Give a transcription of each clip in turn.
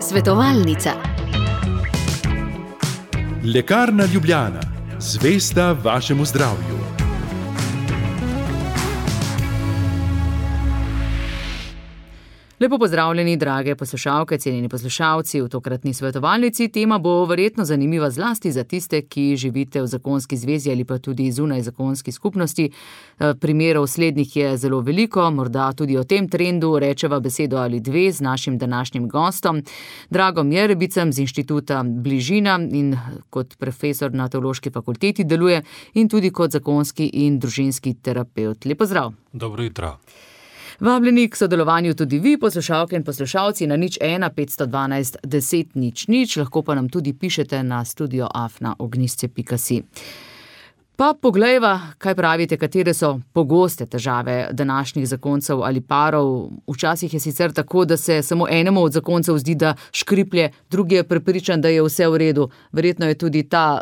Svetovalnica. Lekarna Ljubljana, zvesta vašemu zdravju. Lepo pozdravljeni, drage poslušalke, cenjeni poslušalci. V tokratni svetovalnici tema bo verjetno zanimiva zlasti za tiste, ki živite v zakonski zvezi ali pa tudi zunaj zakonski skupnosti. Primerov slednjih je zelo veliko, morda tudi o tem trendu rečeva besedo ali dve z našim današnjim gostom, Dragom Jerebicem z Inštituta Bližina in kot profesor na Teološki fakulteti deluje in tudi kot zakonski in družinski terapevt. Lep pozdrav. Dobro jutro. Vabljeni k sodelovanju tudi vi, poslušalke in poslušalci, na 01 512 10 00, lahko pa nam tudi pišete na studio@ognisce.si. Pa poglejva, kaj pravite, katere so pogoste težave današnjih zakoncev ali parov. Včasih je sicer tako, da se samo enemu od zakoncev zdi, da škriplje, drugi je prepričan, da je vse v redu. Verjetno je tudi ta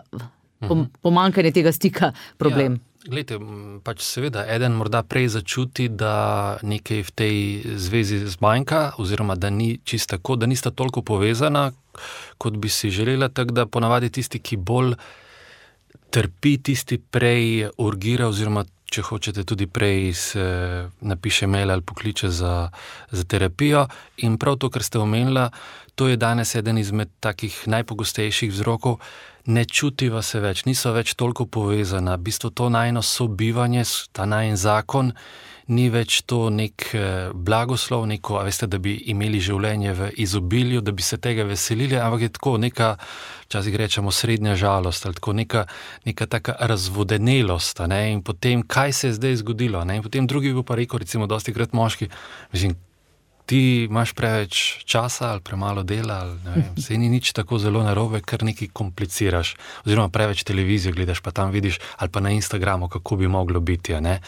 pomanjkanje tega stika problem. Glejte, pač seveda, eden morda prej začuti, da nekaj v tej zvezi zmanjka, oziroma da ni čisto tako, da nista toliko povezana, kot bi si želela, tako da ponavadi tisti, ki bolj trpi, tisti prej urgira, oziroma če hočete tudi prej se napiše mail ali pokliče za terapijo. In prav to, kar ste omenila, to je danes eden izmed takih najpogostejših vzrokov. Ne čutiva se več, niso več toliko povezana. V bistvu to najino sobivanje, ta najin zakon, ni več to nek blagoslov, neko, a veste, da bi imeli življenje v izobilju, da bi se tega veselili, ampak je tako neka, včasih rečemo, srednja žalost, ali tako neka taka razvodenelost, ne? In potem, kaj se je zdaj zgodilo, ne? In potem drugi bi pa rekel, recimo, dostikrat moški, mislim, ti imaš preveč časa ali premalo dela, ali ne vem, saj ni nič tako zelo narobe, kar nekaj kompliciraš, oziroma preveč televizijo gledaš, pa tam vidiš, ali pa na Instagramu, kako bi moglo biti, ne.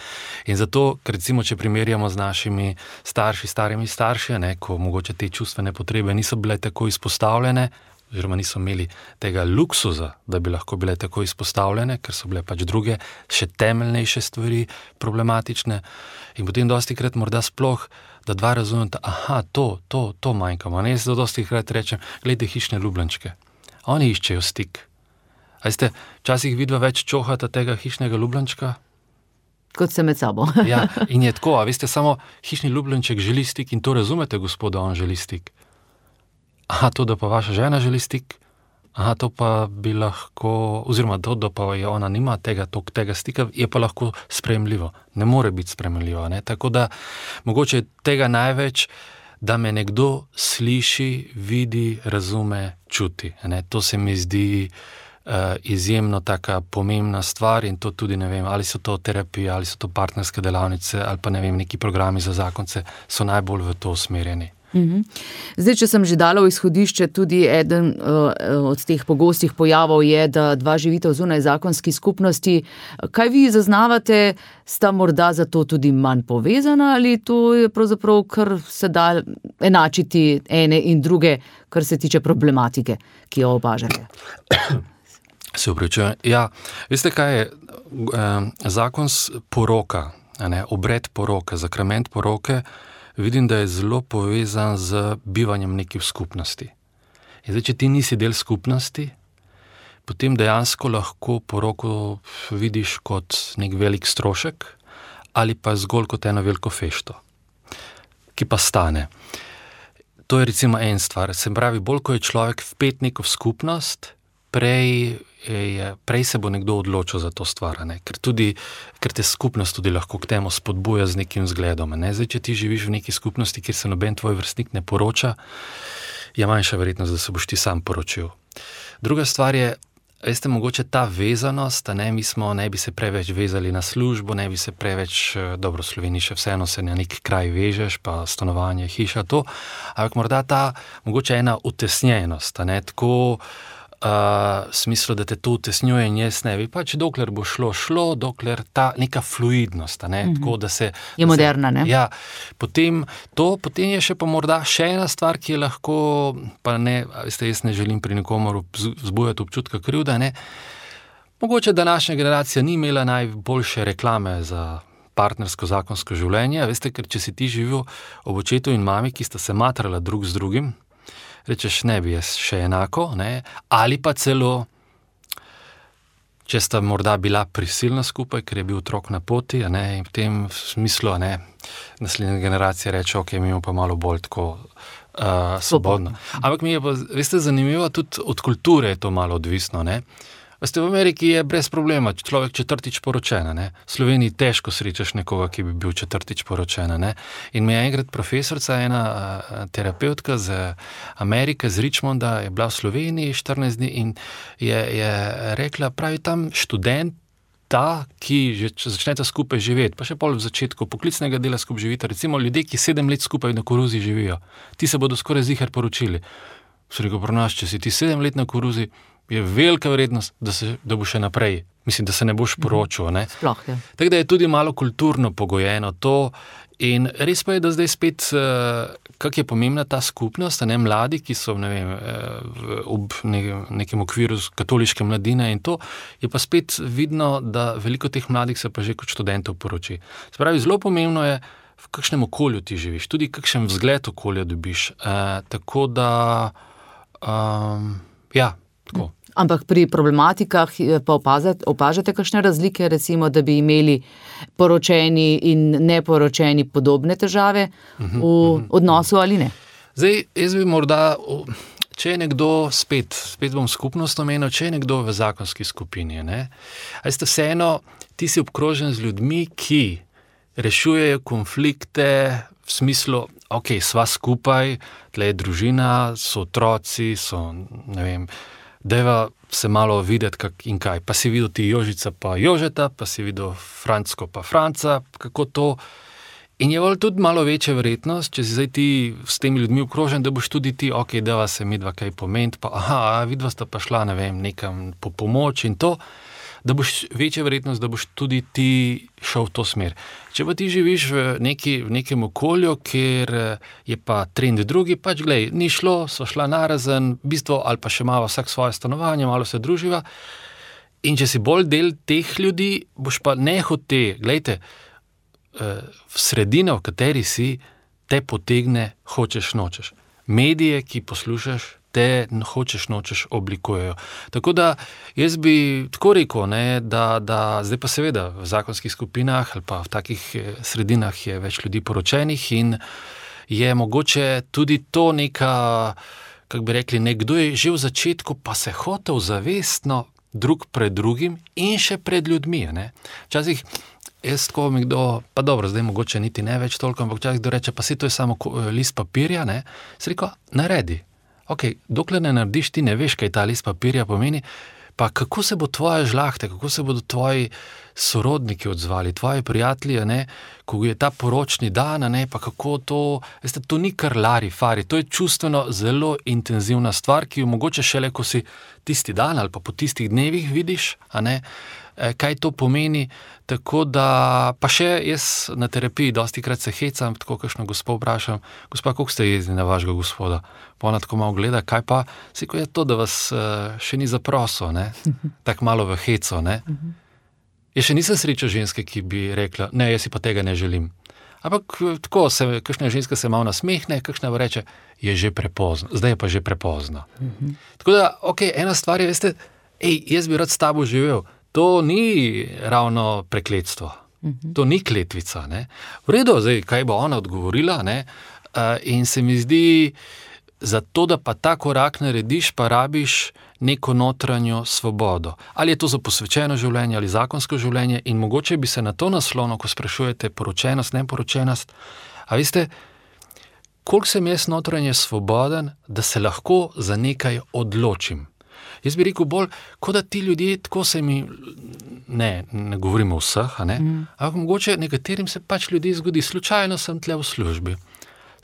In zato, recimo, če primerjamo z našimi starimi starši, ne, ko mogoče te čustvene potrebe niso bile tako izpostavljene, oziroma niso imeli tega luksuza, da bi lahko bile tako izpostavljene, ker so bile pač druge, še temeljnejše stvari problematične. In potem dostikrat morda sploh, da dva razumeta, to manjkamo. Ne, jaz dostikrat rečem, glejte hišne ljubljenčke. Oni iščejo stik. A veste, včasih vidva več čohata tega hišnega ljubljenčka? Kot se med sabo. Ja, in je tako, a veste, samo hišni ljubljenček želi stik in to razumete, gospoda, on želi stik. To, da pa vaša žena želi stik, to pa bi lahko, oziroma to, da pa je ona nima tega stika, je pa lahko sprejemljivo. Ne more biti sprejemljivo, ne? Tako da mogoče tega največ, da me nekdo sliši, vidi, razume, čuti, ne? To se mi zdi izjemno taka pomembna stvar in to tudi, ne vem, ali so to terapije, ali so to partnerske delavnice, ali pa ne vem, neki programi za zakonce so najbolj v to usmerjeni. Zdaj, če sem že dala v izhodišče, tudi eden od teh pogostih pojavov je, da dva živite v zunaj zakonski skupnosti. Kaj vi zaznavate, sta morda zato tudi manj povezana ali to je pravzaprav, kar se da enačiti ene in druge, kar se tiče problematike, ki jo opažate? Se opravičujem. Ja, veste kaj je? Zakon poroka, obred poroke, sakrament poroke, vidim, da je zelo povezan z bivanjem nekaj v skupnosti. In zdaj, če ti nisi del skupnosti, potem dejansko lahko poroko vidiš kot nek velik strošek ali pa zgolj kot eno veliko fešto, ki pa stane. To je recimo en stvar. Se pravi, bolj ko je človek vpet neko v skupnost, prej se bo nekdo odločil za to stvar, ne? Ker te skupnost tudi lahko k temu spodbuja z nekim zgledom. Ne? Zdaj, če ti živiš v neki skupnosti, kjer se noben tvoj vrstnik ne poroča, je manjša verjetnost, da se boš ti sam poročil. Druga stvar je, veste, mogoče ta vezanost, ne bi se preveč vezali na službo, ne bi se preveč, dobro, v Sloveniji še vseeno se na neki kraj vežeš, pa stanovanje, hiša, to, ampak morda mogoče ena utesnjenost, tako v smislu, da te to utesnjuje in jaz ne bi, pač dokler bo šlo, dokler ta neka fluidnost, tako da se... Je moderna, ne? Ja, potem je še pa morda še ena stvar, ki je lahko, pa ne, veste, jaz ne želim pri nikomer vzbujati občutka krivda, ne, mogoče današnja generacija ni imela najboljše reklame za partnersko zakonsko življenje, veste, ker če si ti živel ob očetu in mami, ki sta se matrala drug z drugim, rečeš, ne bi jaz še enako, ne? Ali pa celo, če sta morda bila prisilna skupaj, ker je bil otrok na poti, ne? In v tem smislu, ne, naslednja generacija reče, ok, mi imamo pa malo bolj tako svobodno. Ampak mi je pa, veste, zanimivo, tudi od kulture je to malo odvisno, ne. Veste, v Ameriki je brez problema, človek 4. poročen, ne. V Sloveniji težko srečaš nekoga, ki bi bil 4. poročen, ne. In mi je enkrat profesorica, ena terapeutka z Amerike, z Richmonda, je bila v Sloveniji 14 dni in je rekla, pravi tam študent, ki že začneta skupaj živeti, pa še pol v začetku poklicnega dela skupaj živita, recimo ljudje, ki 7 let skupaj na koruzi živijo, ti se bodo skoraj ziher poročili. So rekel, pri nas, če si ti 7 let na koruzi, je velika verjetnost, da bo še naprej. Mislim, da se ne boš poročil. Ne? Sploh, ja. Tako da je tudi malo kulturno pogojeno to. In res pa je, da zdaj spet, kako je pomembna ta skupnost, ne, mladi, ki so, ne vem, ob nekem okviru katoliške mladine in to, je pa spet vidno, da veliko teh mladih se pa že kot študentov poroči. Se pravi, zelo pomembno je, v kakšnem okolju ti živiš, tudi kakšen vzgled okolja dobiš. Tako da, ja, tako. Ampak pri problematikah pa opažate kakšne razlike, recimo, da bi imeli poročeni in neporočeni podobne težave v odnosu ali ne? Zdaj, jaz bi morda, če je nekdo, spet bom skupnost omenil, če je nekdo v zakonski skupini, ne? A ste vseeno, ti si obkrožen z ljudmi, ki rešujejo konflikte v smislu, ok, sva skupaj, tle je družina, so otroci, so, ne vem, dajva se malo videti kak in kaj. Pa si videl ti Jožica pa Jožeta, pa si videl Francko pa Franca, kako to. In je tudi malo večja verjetnost, če si zdaj ti s temi ljudmi obkrožen, da boš tudi ti, ok, dava se midva kaj pomenti, pa vidva sta pa šla, ne vem, nekam po pomoč in to, da boš večja verjetnost, da boš tudi ti šel v to smer. Če pa ti živiš v nekem okolju, kjer je pa trend drugi, pač glej, ni šlo, so šla narazen, v bistvu, ali pa še malo vsak svoje stanovanje, malo se druživa. In če si bolj del teh ljudi, boš pa nehote, glejte, v sredino, v kateri si, te potegne, hočeš, nočeš. Medije, ki poslušaš, te hočeš, nočeš oblikujejo. Tako da jaz bi tako rekel, ne, da zdaj pa seveda v zakonskih skupinah ali pa v takih sredinah je več ljudi poročenih in je mogoče tudi to neka, kako bi rekli, nekdo je že v začetku pa se hotel zavestno drug pred drugim in še pred ljudmi. Ne. Včasih jaz tako mi kdo, pa dobro, zdaj mogoče niti ne več toliko, ampak včasih kdo reče, pa si to je samo list papirja, ne. Se rekel, naredi. Ok, dokler ne narediš, ti ne veš, kaj ta list papirja pomeni, pa kako se bo tvoja žlahta, kako se bodo tvoji sorodniki odzvali, tvoji prijatelji, ne, ko je ta poročni dan, ne, pa kako to, veste, to ni kar lari fari, to je čustveno zelo intenzivna stvar, ki jo mogoče šele, ko si tisti dan ali pa po tistih dnevih vidiš, a ne, kaj to pomeni, tako da, pa še jaz na terapiji dostikrat se hecam, tako kakšno gospo vprašam, gospa, koliko ste jezdili na vašega gospoda? Pa ona tako malo gleda, kaj pa, siko je to, da vas še ni zaprosil, ne, tako malo v heco, ne. Jaz še nisem srečal ženske, ki bi rekla, ne, jaz si pa tega ne želim. Ampak tako, kakšna ženska se malo nasmehne, kakšna reče, je že prepozno, zdaj je pa že prepozno. Tako da, ok, ena stvar je, veste, jaz bi rad s tabo živel, to ni ravno prekletstvo, to ni kletvica, ne. V redu, zdaj, kaj bo ona odgovorila, ne, in se mi zdi, zato, da pa ta korak narediš, pa rabiš neko notranjo svobodo. Ali je to za posvečeno življenje ali zakonsko življenje in mogoče bi se na to naslonil, ko sprašujete poročenost, neporočenost. A veste, koliko sem jaz notranje svoboden, da se lahko za nekaj odločim. Jaz bi rekel bolj, kot da ti ljudje, tako se mi, ne govorimo vseh, ampak mogoče nekaterim se pač ljudi zgodi, slučajno sem tle v službi,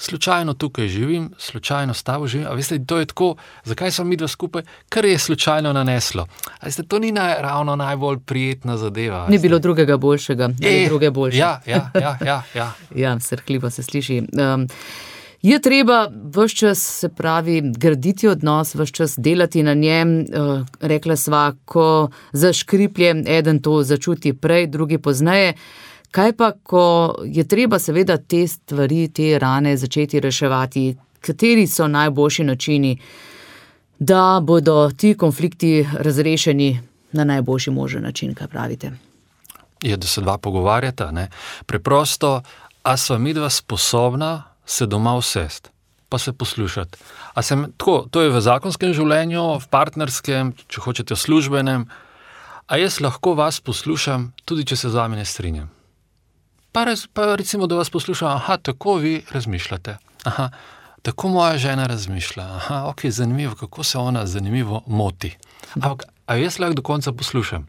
slučajno tukaj živim, slučajno s tabo živim, a veste, to je tako, zakaj smo midva skupaj, kar je slučajno naneslo. A veste, to ni ravno najbolj prijetna zadeva. Ni bilo drugega boljšega, ali druge boljše. Ja. Ja, srhljivo se sliši. Je treba ves čas, se pravi, graditi odnos, ves čas delati na njem, rekla sva, ko zaškriplje, eden to začuti prej, drugi pozneje. Kaj pa, ko je treba seveda te stvari, te rane začeti reševati kateri so najboljši načini, da bodo ti konflikti razrešeni na najboljši možen način, kaj pravite? Je, da se dva pogovarjata, ne? Preprosto, a sva midva sposobna se doma usest, pa se poslušati. Tako, to je v zakonskem življenju, v partnerskem, če hočete v službenem, a jaz lahko vas poslušam, tudi če se z vami ne strinjam. Pa recimo, da vas poslušam, tako vi razmišljate, tako moja žena razmišlja, ok, zanimivo, kako se ona zanimivo moti. Ampak, a jaz lahko do konca poslušam?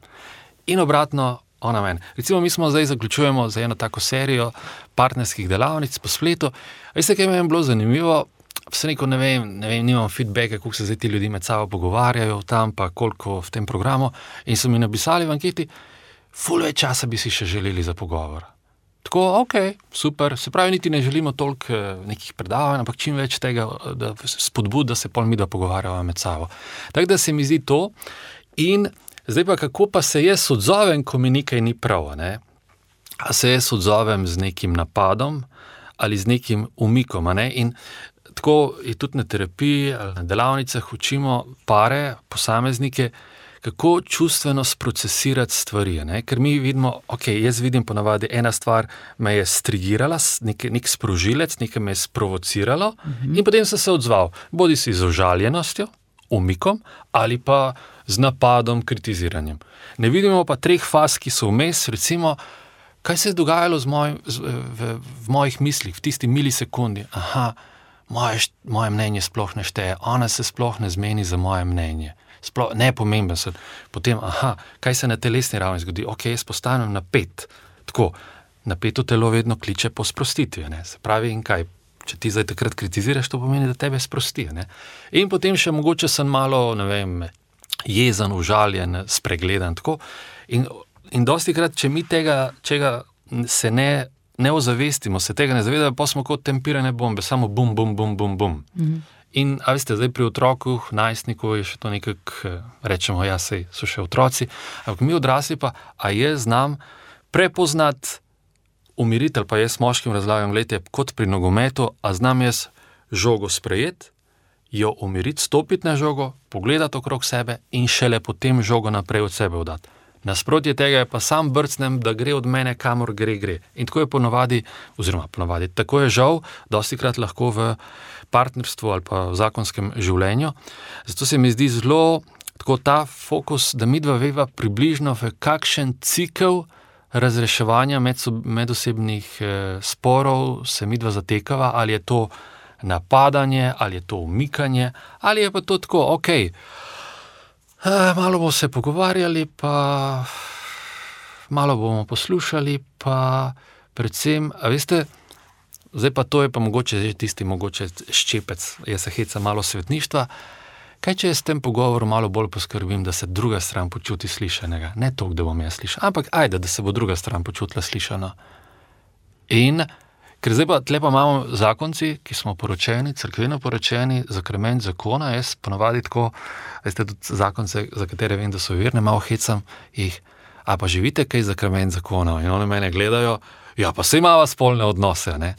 In obratno, ona meni. Recimo, mi smo zdaj zaključujemo za eno tako serijo partnerskih delavnic po spletu. Veste, kaj mi je bilo zanimivo? Vse neko, ne vem, nimam feedbacka, kako se zdaj ti ljudi med sabo pogovarjajo tam, pa koliko v tem programu. In so mi napisali v anketi, ful več časa bi si še želeli za pogovor. Tako, ok, super, se pravi, niti ne želimo toliko nekih predavanj, ampak čim več tega spodbud, da se pol mi da pogovarjava med sabo. Tako da se mi zdi to. In zdaj pa, kako pa se jaz odzovem, ko mi nekaj ni prav, ne? A se jaz odzovem z nekim napadom ali z nekim umikom, ne? In tako je tudi na terapiji ali na delavnicah učimo pare, posameznike, kako čustveno sprocesirati stvari, ne? Ker mi vidimo, ok, jaz vidim ponavadi ena stvar me je strigirala, nek sprožilec, nekaj me je sprovociralo in potem sem se odzval, bodi si z užaljenostjo, umikom ali pa z napadom, kritiziranjem. Ne vidimo pa treh faz, ki so vmes, recimo, kaj se je dogajalo v mojih mislih, v tisti milisekundi, moje mnenje sploh ne šteje, ona se sploh ne zmeni za moje mnenje. Nepomemben sem. Potem, kaj se na telesni ravni zgodi? Ok, jaz postanem napet. Tako, napeto telo vedno kliče po sprostitvi, ne? Se pravi, in kaj? Če ti zdaj takrat kritiziraš, to pomeni, da tebe sprosti, ne? In potem še mogoče sem malo, ne vem, jezen, užaljen, spregledan, tako. In dostikrat, če mi čega se ne ozavestimo, se tega ne zavedamo, pa smo kot tempirane bombe, samo bum, bum, bum, bum, bum. In, a veste, zdaj pri otroku, najstniku je še to nekako, rečemo, sej so še otroci, ampak mi odrasli pa, a jaz znam prepoznati umiritelj, pa jaz moškim razlagam, gledajte, kot pri nogometu, a znam jaz žogo sprejeti, jo umiriti, stopiti na žogo, pogledati okrog sebe in šele potem žogo naprej od sebe oddati. Nasprotje tega je pa sam brcnem, da gre od mene, kamor gre. In tako je ponavadi, tako je žal, dostikrat lahko v partnerstvu ali pa v zakonskem življenju. Zato se mi zdi zelo tako ta fokus, da midva veva približno v kakšen cikel razreševanja medosebnih sporov se midva zatekava, ali je to napadanje, ali je to umikanje, ali je pa to tako, ok, malo bomo se pogovarjali, pa malo bomo poslušali, pa predvsem, a veste, zdaj pa to je pa mogoče tisti ščepec, jaz se heca malo svetništva, kaj če jaz s tem pogovorom malo bolj poskrbim, da se druga stran počuti slišanega, ne toliko, da bom jaz slišal, ampak da se bo druga stran počutila slišano. In ker zdaj pa tle pa imamo zakonci, ki smo poročeni, cerkveno poročeni, zakrament zakona, jaz ponavadi tako, veste, tudi zakonce, za katere vem, da so verne, malo hecam jih, a pa živite kaj zakrament zakona? In oni mene gledajo, pa saj imava spolne odnose, ne?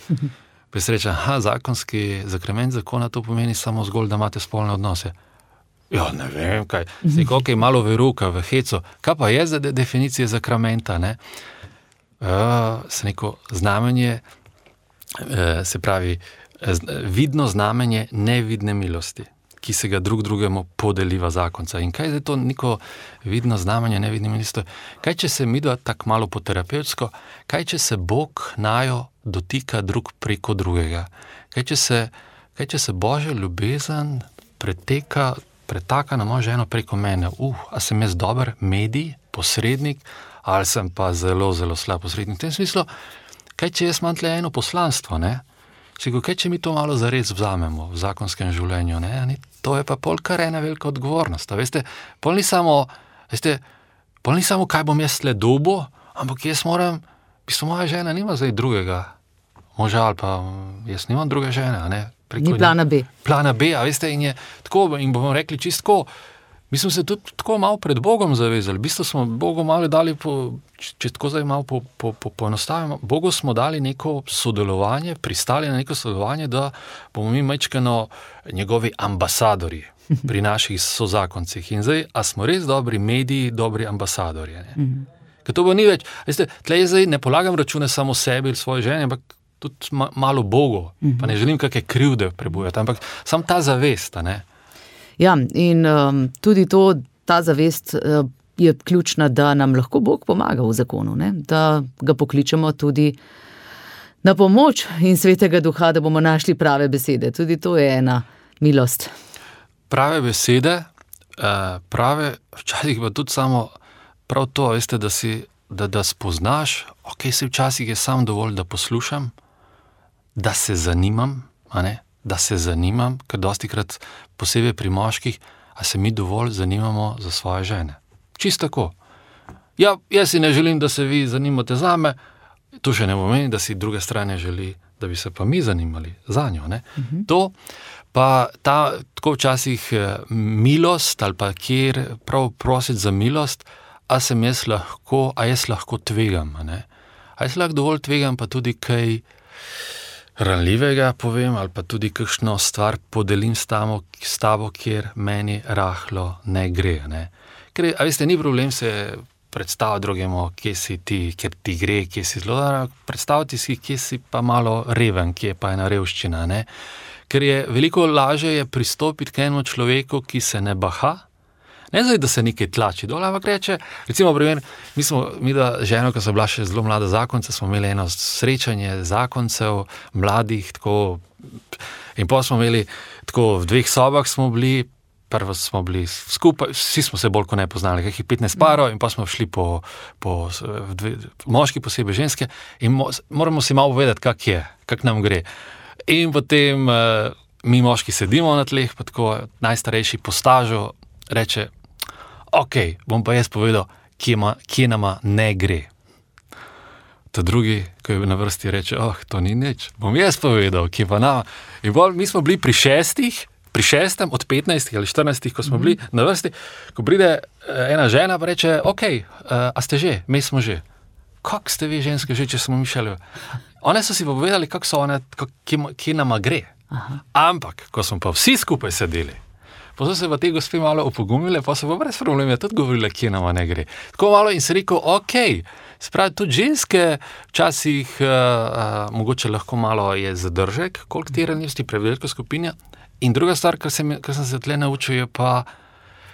Pa jaz rečem, zakonski zakrament zakona, to pomeni samo zgolj, da imate spolne odnose. Ne vem, kaj, nekaj malo veruka v heco, kaj pa je za definicije zakramenta, ne? Se neko znamenje, se pravi, vidno znamenje nevidne milosti, ki se ga drugemu podeliva zakonca. In kaj je to neko vidno znamenje nevidne milosti? Kaj če se midva tako malo po terapevtsko, kaj če se Bog najo dotika drug preko drugega? Kaj če se Božja ljubezen pretaka na mojo ženo preko mene? A sem jaz dober medij, posrednik, ali sem pa zelo, zelo slab posrednik? V tem smislu, kaj če jaz imam tle eno poslanstvo, ne? Kaj če mi to malo zares vzamemo v zakonskem življenju, ne? To je pa pol kar ena velika odgovornost. Veste, pol ni samo, kaj bom jaz tle dobil, ampak jaz moram, v bistvu moja žena nima zdaj drugega moža, ali pa jaz nimam druge žene, ne? Ni plana B. Plana B, a veste, in je tako, in bomo rekli čistko, Mi smo se tudi tako malo pred Bogom zavezali. V bistvu smo Bogu malo dali, če tako zdaj malo poenostavimo, Bogu smo dali neko sodelovanje, pristali na neko sodelovanje, da bomo mi majčkeno njegovi ambasadorji pri naših sozakoncih. In zdaj, a smo res dobri mediji, dobri ambasadorji? Ker to bo ni več. Veste, tlej zdaj ne polagam račune samo sebi ali svoje žene, ampak tudi malo Bogu. Pa ne želim kakšne krivde prebujati, ampak samo ta zavest, ne? Ja, in tudi ta zavest je ključna, da nam lahko Bog pomaga v zakonu, ne? Da ga pokličemo tudi na pomoč in Svetega Duha, da bomo našli prave besede. Tudi to je ena milost. Prave besede, včasih pa tudi samo prav to, veste, da spoznaš, si včasih je sam dovolj, da poslušam, da se zanimam, a ne? Da se zanimam, ker dostikrat posebej pri moških, a se mi dovolj zanimamo za svoje žene. Čisto tako. Ja, jaz si ne želim, da se vi zanimate zame, to še ne pomeni, da si druge strane želi, da bi se pa mi zanimali za njo, ne? To pa tako včasih milost ali pa kjer prav prositi za milost, a jaz lahko tvegam, a ne? A jaz lahko dovolj tvegam, pa tudi kaj ranljivega povem, ali pa tudi kakšno stvar podelim s tabo, kjer meni rahlo ne gre, ne? Ker, a veste, ni problem se predstaviti drugemu, kje si ti, kjer ti gre, kje si zelo, predstaviti si, kje si pa malo reven, kje pa ena revščina, ne? Ker je veliko lažje je pristopiti k enemu človeku, ki se ne baha, ne zdaj, da se nekaj tlači dol, ampak reče, recimo primer, mi da ženo, ko so bila še zelo mlada zakonca, smo imeli eno srečanje zakoncev, mladih, tako, in potem smo imeli, tako v 2 sobah smo bili, prvo smo bili skupaj, vsi smo se bolj kot ne poznali, kakih 15 parov, in pa smo šli po moški, posebej ženske, in moramo si malo povedati, kak nam gre. In potem mi moški sedimo na tleh, pa tako najstarejši po stažu reče, bom pa jaz povedal, kje nama ne gre. Ta drugi, ko je na vrsti, reče, to ni nič, bom jaz povedal, kje pa nama. In bolj, mi smo bili pri 6. od 15 ali 14, ko smo bili na vrsti, ko pride ena žena, pa reče, a ste že, mi smo že. Kak ste vi ženske že, če smo mi šeli? One so si pa povedali, kak so one, kje nama gre. Ampak, ko smo pa vsi skupaj sedeli, pa so se pa te gospe malo opogumile, pa so pa brez problema tudi govorile, kje nama ne gre. Tako malo in se rekel, spravi, tudi ženske včasih mogoče lahko malo je zadržek, koliko te ranljivosti, prevelika skupina. In druga stvar, kar sem se tle naučil, je pa,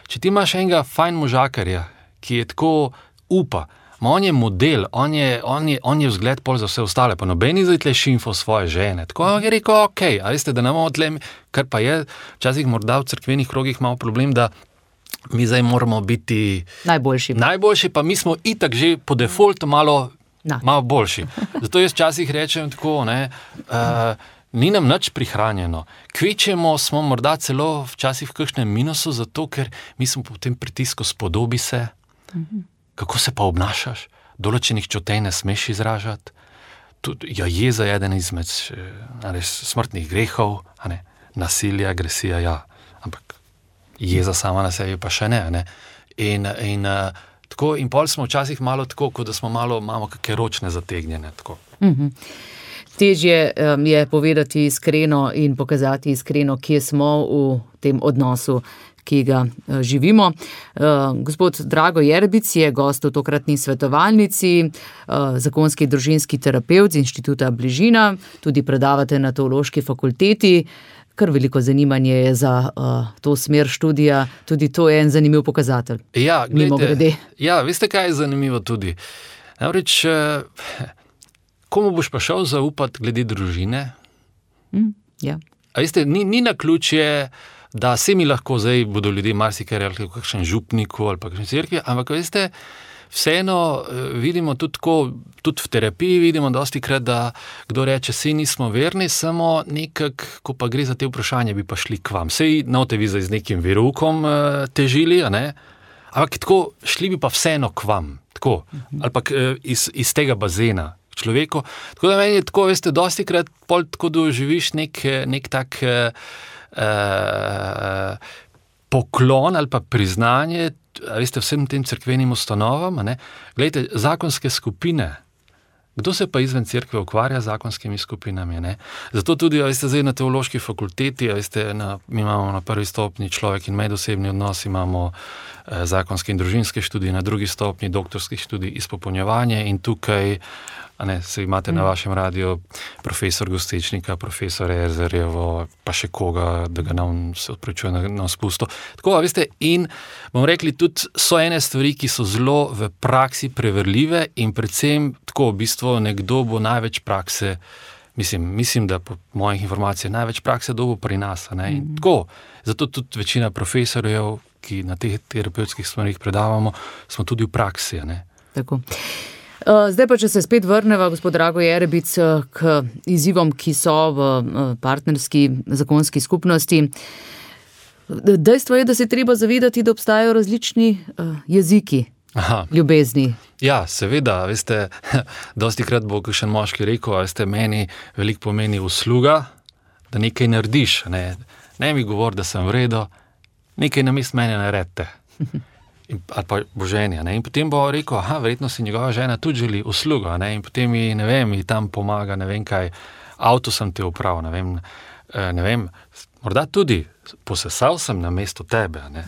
če ti imaš enega fajn možakarja, ki je tako upa, on je model, on je vzgled pol za vse ostale, pa nobeni zdaj tle šimfo svoje žene. Tako je rekel, a veste, da ne imamo tle, kar pa je včasih morda v cerkvenih krogih malo problem, da mi zdaj moramo biti najboljši, pa mi smo itak že po defaultu malo boljši. Zato jaz včasih rečem tako, ni nam nič prihranjeno. Kvečemo smo morda celo včasih v kakšnem minusu, zato ker mi smo po tem pritisku spodobi se, kako se pa obnašaš, določenih čutej ne smeš izražati. Jeza je eden izmed smrtnih grehov, nasilje, agresija, ja, ampak jeza sama na sebi pa še ne. In tako, in pol smo včasih malo tako, kot da smo imamo kakšne ročne zategnjene. Tako. Težje je povedati iskreno in pokazati iskreno, kje smo v tem odnosu, ki ga živimo. Gospod Drago Jerbic je gost v tokratni svetovalnici, zakonski družinski terapevt z Inštituta Bližina, tudi predavate na Teološki fakulteti. Kar veliko zanimanje je za to smer študija, tudi to je en zanimiv pokazatelj. Ja, gledajte, veste, kaj je zanimivo tudi? Namreč, komu boš pa šel zaupati glede družine? Ja. A veste, ni naključje, da se mi lahko zdaj bodo ljudje marsikaj rekli v kakšen župniku ali pa kakšen cerkvi, ampak veste, vseeno vidimo tudi v terapiji vidimo dostikrat, da kdo reče, sej nismo verni, samo nekak, ko pa gre za te vprašanja, bi pa šli k vam. Sej note vi zdaj z nekim veroukom težili, a ne? Ampak tako, šli bi pa vseeno k vam, tako, ali pa iz tega bazena človeku. Tako da meni je tako, veste, dostikrat pol tako doživiš nek tak poklon ali pa priznanje, veste, vsem tem cerkvenim ustanovam, ne? Glejte, zakonske skupine, kdo se pa izven cerkve ukvarja z zakonskimi skupinami, ne? Zato tudi, veste, zdaj na teološki fakulteti, veste, mi imamo na prvi stopnji človek in medosebni odnos, imamo zakonske in družinske študije, na drugi stopnji doktorskih študij izpopolnjevanje in tukaj, se imate na vašem radiju profesor Gostečnika, profesor Erzerjevo, pa še koga, da ga nam se odprečuje na spusto. Tako, veste, in bomo rekli, tudi so ene stvari, ki so zelo v praksi preverljive in predvsem tako, v bistvu nekdo bo največ prakse, mislim, da po mojih informacijah največ prakse dobo pri nas, ne, in tako, zato tudi večina profesorjev, ki na teh terapevtskih stvarih predavamo, smo tudi v praksi, ne. Tako. Zdaj pa, če se spet vrneva, gospod Drago Jerebic, k izzivom, ki so v partnerski zakonski skupnosti. Dejstvo je, da se treba zavedati, da obstajajo različni jeziki ljubezni. Ja, seveda, veste, dostikrat bo kakšen moški rekel, veste, meni veliko pomeni usluga, da nekaj narediš, ne mi govori, da sem v redu, nekaj namesto mene naredite. Ali pa boženja, ne, in potem bo rekel, verjetno si njegova žena tudi želi uslugo, ne, in potem mi tam pomaga, ne vem kaj, avto sem te upravil, ne vem, morda tudi posesal sem na mesto tebe, ne.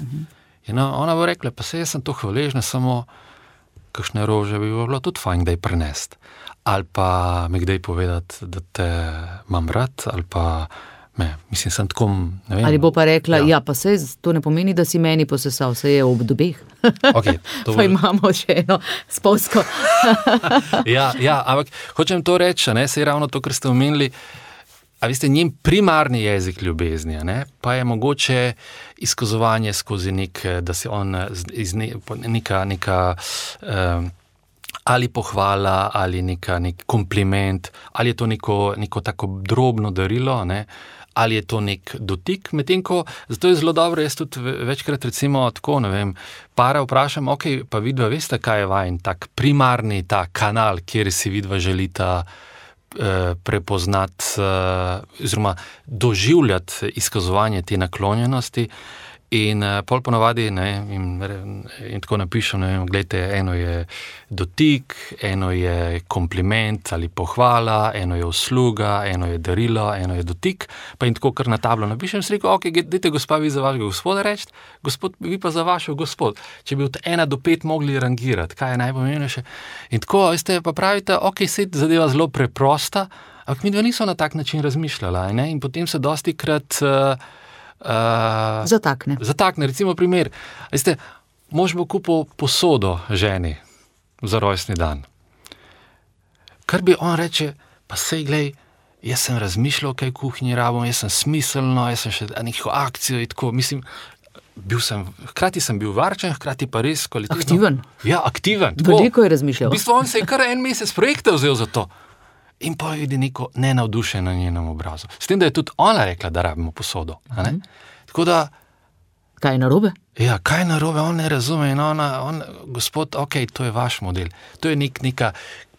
In ona bo rekla, pa jaz sem to hvaležna, samo kakšne rože bi bilo tudi fajn kdaj prenesti, ali pa mi kdaj povedati, da te imam rad, ali pa mislim, sem tako, ne vem. Ali bo pa rekla, pa sej, to ne pomeni, da si meni posesal, sej je ob dobeh. Okay, pa imamo še eno spolsko. Ampak hočem to reči, sej ravno to, kar ste omenili, a veste, njen primarni jezik ljubezni, pa je mogoče izkazovanje skozi da se on neka ali pohvala, ali nek kompliment, ali je to neko tako drobno darilo, ali je to nek dotik, medtem ko, zato je zelo dobro, jaz tudi večkrat recimo tako, ne vem, para vprašam, pa vidva veste, kaj je vajen tak primarni ta kanal, kjer si vidva želita prepoznati oziroma doživljati izkazovanje te naklonjenosti. In pol ponavadi, in tako napišem, gledajte, eno je dotik, eno je kompliment ali pohvala, eno je usluga, eno je darilo, eno je dotik, pa in tako kar na tablo napišem, si rekel, dajte gospa vi za vašega gospoda reči, gospod vi pa za vašo gospod. Če bi od 1 do 5 mogli rangirati, kaj je najpomembnejše. In tako, veste, pa pravite, sed zadeva zelo preprosta, ampak midva niso na tak način razmišljala, in potem se dostikrat Zatakne, recimo primer. Veste, mož bo kupil posodo ženi za rojstni dan. Kar bi on reče, pa sej glej, jaz sem razmišljal, kaj kuhinji rabim, jaz sem smiselno, jaz sem še neko akcijo in tako, mislim, hkrati sem bil varčen, hkrati pa res kvalitetno. Aktiven. Ja, aktiven. Veliko je razmišljal. V bistvu on se je kar 1 mesec projekta vzel za to. In pa vidi neko nenavdušenje na njenem obrazu. S tem, da je tudi ona rekla, da rabimo posodo. Tako da... Kaj je narobe? Ja, kaj je narobe, on ne razume in gospod, to je vaš model. To je neka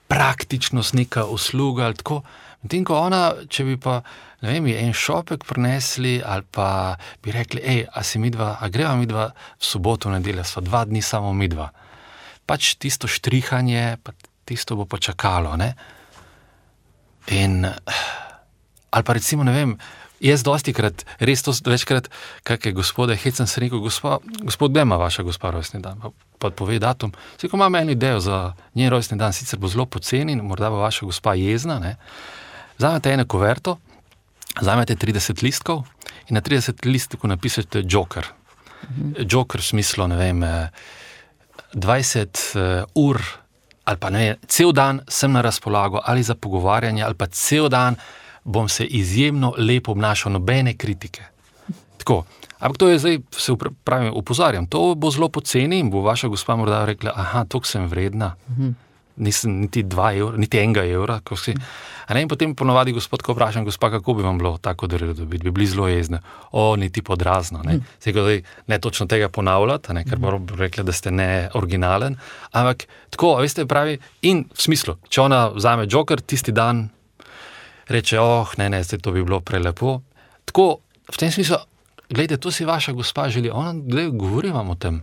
praktičnost, neka usluga ali tako. Medtem ko ona, če bi pa, ne vem, en šopek prinesli ali pa bi rekli, a greva midva v soboto, v nedeljo, sva 2 dni samo midva. Pač tisto štrihanje, pa tisto bo počakalo, ne? In, ali pa recimo, ne vem, jaz dostikrat, res to večkrat, kakšne gospode, hecam se rekel, gospod, kdaj ima vaša gospa rojstni dan? Pa pove datum. Ko imam eno idejo za njen rojstni dan, sicer bo zelo poceni, morda bo vaša gospa jezna, ne? Vzamete eno kuverto, vzamete 30 listkov in na 30 listkov napišete Joker. Joker v smislu, ne vem, 20 ur ali pa ne, cel dan sem na razpolago ali za pogovarjanje, ali pa cel dan bom se izjemno lepo obnašal, nobene kritike. Tako, ampak to je zdaj, se pravim, upozarjam, to bo zelo poceni in bo vaša gospa morda rekla, toliko sem vredna, nisem niti 2 evra, niti 1 evra, ko si. In potem ponovadi gospod, ko vprašam, gospa, kako bi vam bilo tako darilo dobiti, bi bili zelo jezne. Niti podrazno, ne. Ne točno tega ponavljati, ker bo rekla, da ste ne originalen, ampak tako, veste, pravi, in v smislu, če ona vzame Joker, tisti dan reče, zdaj to bi bilo prelepo. Tako, v tem smislu, glejte, to si vaša gospa želi, ona, govori vam o tem.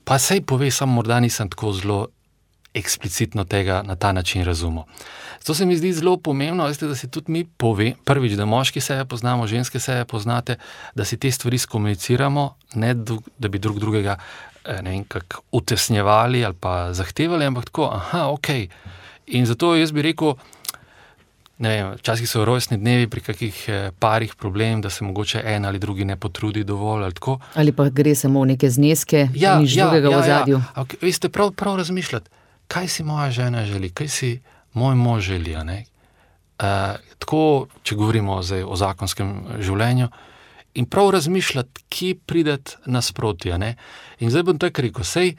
Pa sej pove, samo morda nisem tako zelo eksplicitno tega na ta način razumel. Zato se mi zdi zelo pomembno, veste, da si tudi mi pove, prvič, da moški sebe poznamo, ženske sebe poznate, da si te stvari skomuniciramo, ne da bi drug drugega ne vem, kako utesnjevali ali pa zahtevali, ampak tako, okej. In zato jaz bi rekel, ne vem, včasih so rojstni dnevi pri kakih parih problem, da se mogoče en ali drugi ne potrudi dovolj ali tako. Ali pa gre samo v neke zneske, nič drugega v ozadju. Ampak veste, prav razmišljati, kaj si moja žena želi, kaj si moj mož želi, ne? Tako, če govorimo zdaj o zakonskem življenju, in prav razmišljati, kje prideti nasproti, ne? In zdaj bom tako rekel, sej,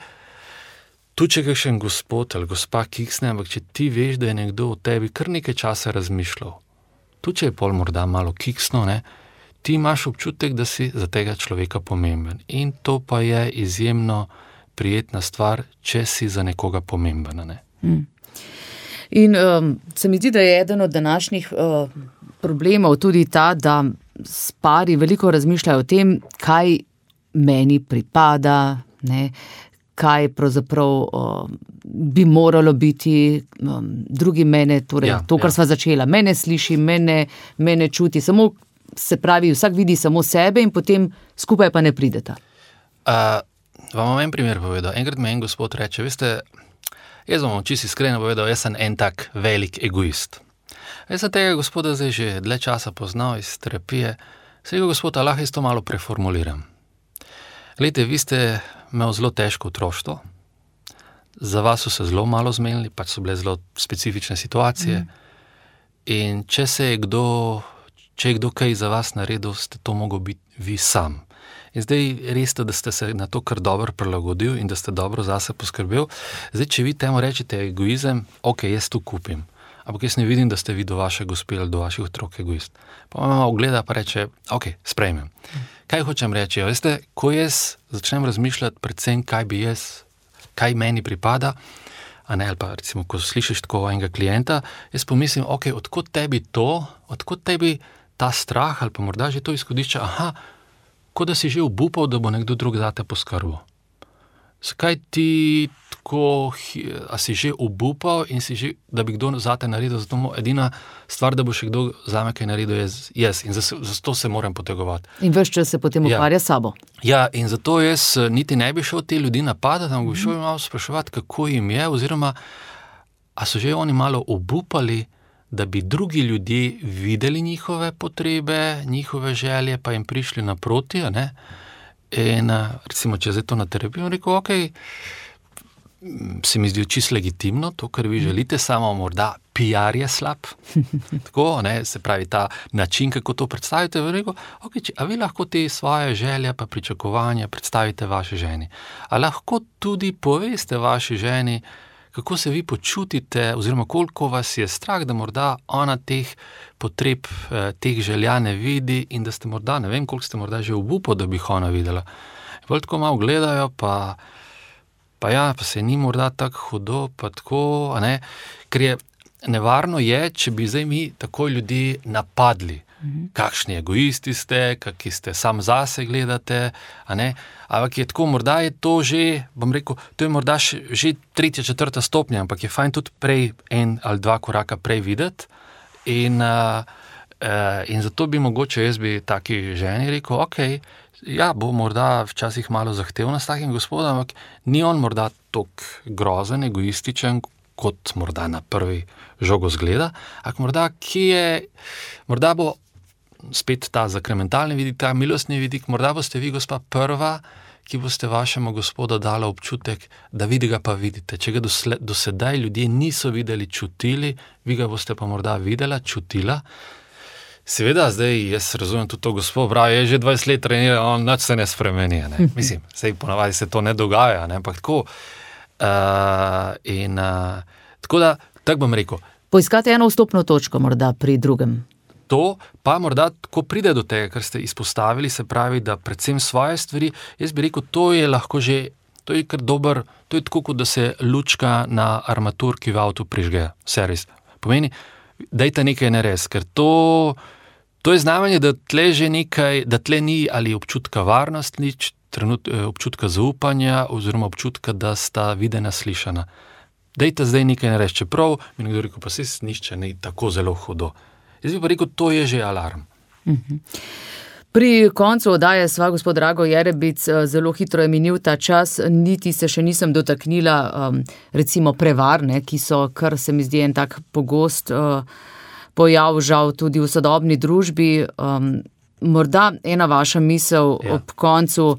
tu če kakšen gospod ali gospa kiksne, ampak če ti veš, da je nekdo o tebi kar nekaj časa razmišljal, tu če je pol morda malo kiksno, ne, ti imaš občutek, da si za tega človeka pomemben. In to pa je izjemno prijetna stvar, če si za nekoga pomemben, ne. In se mi zdi, da je eden od današnjih problemov tudi ta, da pari veliko razmišljajo o tem, kaj meni pripada, ne, kaj pravzaprav bi moralo biti, drugi mene, torej to, kar sva začela, mene sliši, mene čuti, samo se pravi, vsak vidi samo sebe in potem skupaj pa ne prideta. Vam bom en primer povedal. Enkrat me en gospod reče, veste, jaz vam čisto iskreno povedal, jaz sem en tak velik egoist. Jaz sem tega gospoda zdaj že dlje časa poznal iz terapije. Se rekel, gospod, lahko jaz to malo preformuliram. Glejte, vi ste imel zelo težko otroštvo, za vas so se zelo malo zmenili, pač so bile zelo specifične situacije in če je kdo kaj za vas naredil, ste to mogel biti vi sam. In zdaj res je, da ste se na to kar dobro prilagodil in da ste dobro zase poskrbel. Zdaj, če vi temu rečete egoizem, jaz to kupim. Ampak jaz ne vidim, da ste vi do vaše gospe ali do vaših otrok egoist. Pa mama ogleda pa reče, sprejmem. Kaj hočem reči? Veste, ko jaz začnem razmišljati predvsem, kaj meni pripada, ali pa recimo, ko slišiš tako enega klienta, jaz pomislim, odkot tebi ta strah ali pa morda že to izhodišče, kot da si že obupal, da bo nekdo drug zate poskrbel. Zakaj ti tako, a si že obupal in si že, da bi kdo zate naredil, zato edina stvar, da bo še kdo zame kaj naredil, jaz. In zato se moram potegovati. In ves čas se potem ukvarja sabo. Ja, in zato jaz niti ne bi šel te ljudi napadati, ampak bi šel malo spraševati, kako jim je, oziroma, a so že oni malo obupali, da bi drugi ljudje videli njihove potrebe, njihove želje, pa jim prišli naproti, ne? In recimo, če zdaj to na terapijo, rekel, se mi zdi čisto legitimno, to, kar vi želite, samo morda PR je slab, tako, ne, se pravi ta način, kako to predstavite, rekel, a vi lahko te svoje želje pa pričakovanja predstavite vaši ženi, a lahko tudi poveste vaši ženi, kako se vi počutite, oziroma koliko vas je strah, da morda ona teh potreb, teh želja ne vidi in da ste morda, ne vem, koliko ste morda že obupali, da bi jih ona videla. Bolj tako malo gledajo, pa se ni morda tako hudo, pa tako, ne, ker je nevarno je, če bi zdaj mi tako ljudi napadli. Kakšni egoisti ste, kakšni ste sam zase gledate, a ne, ampak je tako, morda je to že, bom rekel, to je morda že 3., 4. stopnja, ampak je fajn tudi prej 1 ali 2 koraka prej videti in zato bi mogoče jaz bi taki ženi rekel, bo morda včasih malo zahtevna s takim gospodom, ampak ni on morda toliko grozen, egoističen, kot morda na prvi žogo zgleda, ampak morda bo spet ta zakramentalni vidik, ta milostni vidik, morda boste vi, gospa, prva, ki boste vašemu gospodu dala občutek, da vidi ga pa vidite. Če ga do sedaj ljudje niso videli, čutili, vi ga boste pa morda videla, čutila. Seveda, zdaj jaz razumem tudi to gospod, pravi, je že 20 let trenira, on nič se ne spremeni, ne. Mislim, sej ponavadi se to ne dogaja, ne, ampak tako. Tako da, tako bom rekel. Poiskate eno vstopno točko morda pri drugem. To pa morda, ko pride do tega, kar ste izpostavili, se pravi, da predvsem svoje stvari, jaz bi rekel, to je lahko že, to je kar dober, to je tako, kot da se lučka na armaturki v avtu prižge, servis. Pomeni, dajte nekaj narediti, ker to To je znamenje, da tle že nekaj, da tle ni ali občutka varnosti, občutka zaupanja oziroma občutka, da sta videna, slišana. Dejte zdaj nekaj nareči, čeprav mi nekdo rekel, pa se nišče ni tako zelo hudo. Jaz bi pa rekel, to je že alarm. Pri koncu oddaje sva, gospod Drago Jerebic, zelo hitro je minil ta čas, niti se še nisem dotaknila recimo prevar, ki so, kar se mi zdi en tak pogost pojav, žal tudi v sodobni družbi. Morda ena vaša misel ob koncu,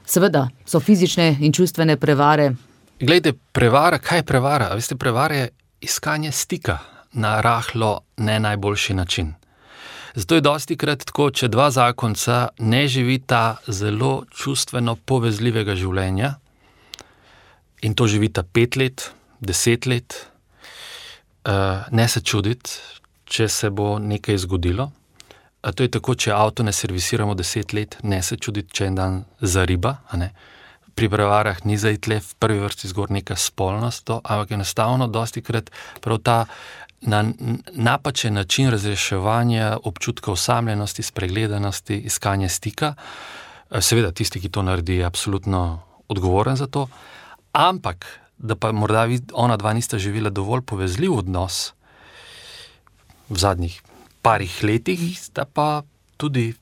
seveda so fizične in čustvene prevare. Glejte, prevara, kaj je prevara? Veste, prevara je iskanje stika na rahlo ne najboljši način. Zato je dostikrat tako, če dva zakonca ne živita zelo čustveno povezljivega življenja in to živita 5 let, 10 let, ne se čuditi, če se bo nekaj zgodilo. To je tako, če avto ne servisiramo 10 let, ne se čuditi, če en dan zariba, a ne. Pri prevarah ni zdaj tle v prvi vrsti zgor neka spolnost, ampak enostavno dostikrat prav ta na napačen način razreševanja občutka osamljenosti, spregledanosti, iskanje stika. Seveda tisti, ki to naredi, je absolutno odgovoren za to, ampak da pa morda ona dva nista živela dovolj povezljiv odnos v zadnjih parih letih, sta pa tudi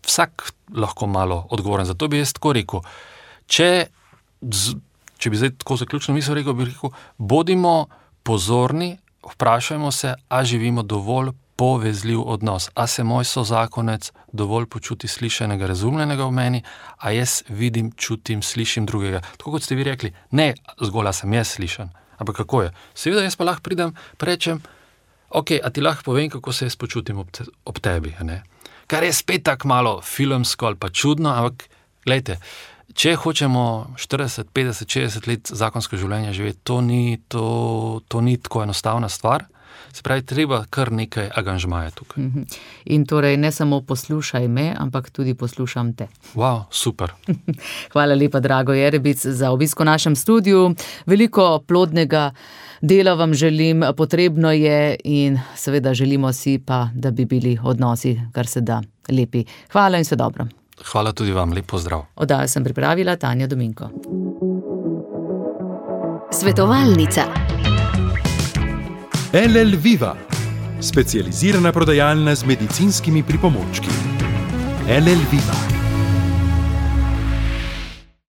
vsak lahko malo odgovoren. Zato bi jaz tako rekel, če bi zdaj tako zaključno misel rekel, bi rekel, bodimo pozorni, vprašajmo se, a živimo dovolj povezljiv odnos, a se moj sozakonec dovolj počuti slišanega, razumljenega v meni, a jaz vidim, čutim, slišim drugega. Tako kot ste vi rekli, ne zgolj, a sem jaz slišan, ampak kako je. Seveda jaz pa lahko pridem, rečem, ok, a ti lahko povem, kako se jaz počutim ob tebi, ne? Kar je spet tako malo filmsko ali pa čudno, ampak glejte, če hočemo 40, 50, 60 let zakonsko življenje živeti, to ni tako enostavna stvar. Se pravi, treba kar nekaj aganžmaja tukaj. In torej ne samo poslušaj me, ampak tudi poslušam te. Wow, super. Hvala lepa, Drago Jerebic, za obisk v našem studiu. Veliko plodnega dela vam želim, potrebno je in seveda želimo si pa, da bi bili odnosi kar se da lepi. Hvala in vse dobro. Hvala tudi vam, lep pozdrav. Oddajo sem pripravila Tanja Dominko. Svetovalnica. LL Viva, specializirana prodajalna z medicinskimi pripomočki. LL Viva.